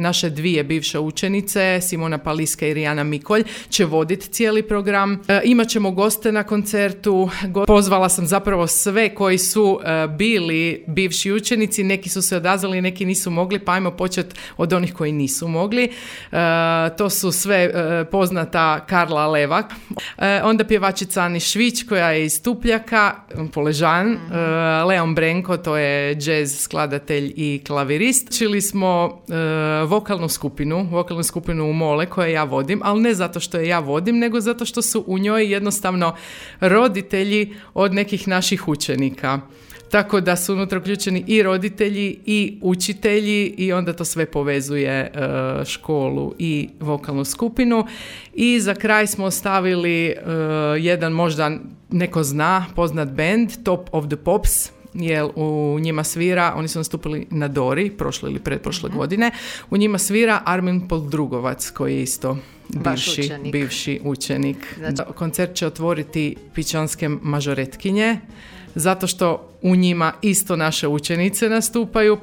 Naše dvije bivše učenice, Simona Paliska i Rijana Mikolj, će voditi cijeli program. Imat ćemo goste na koncertu. Pozvala sam zapravo sve koji su bili bivši učenici. Neki su se odazvali, neki nisu mogli, pa ajmo početi od onih koji nisu mogli. To su sve poznata Karla Levak, onda pjevačica Ani Švić koja je iz Tupljaka, Poležan, Leon Brenko, to je jazz skladatelj i klavirist. Čili smo vokalnu skupinu u Mole koje ja vodim, ali ne zato što je ja vodim, nego zato što su u njoj jednostavno roditelji od nekih naših učenika. Tako da su unutra uključeni i roditelji i učitelji i onda to sve povezuje školu i vokalnu skupinu. I za kraj smo ostavili jedan možda neko zna, poznat band, Top of the Pops, jer u njima svira, oni su nastupili na Dori prošle ili pretprošle godine, u njima svira Armin Poldrugovac koji je isto bivši učenik. Znači, koncert će otvoriti Pičanske mažoretkinje, zato što u njima isto naše učenice nastupaju.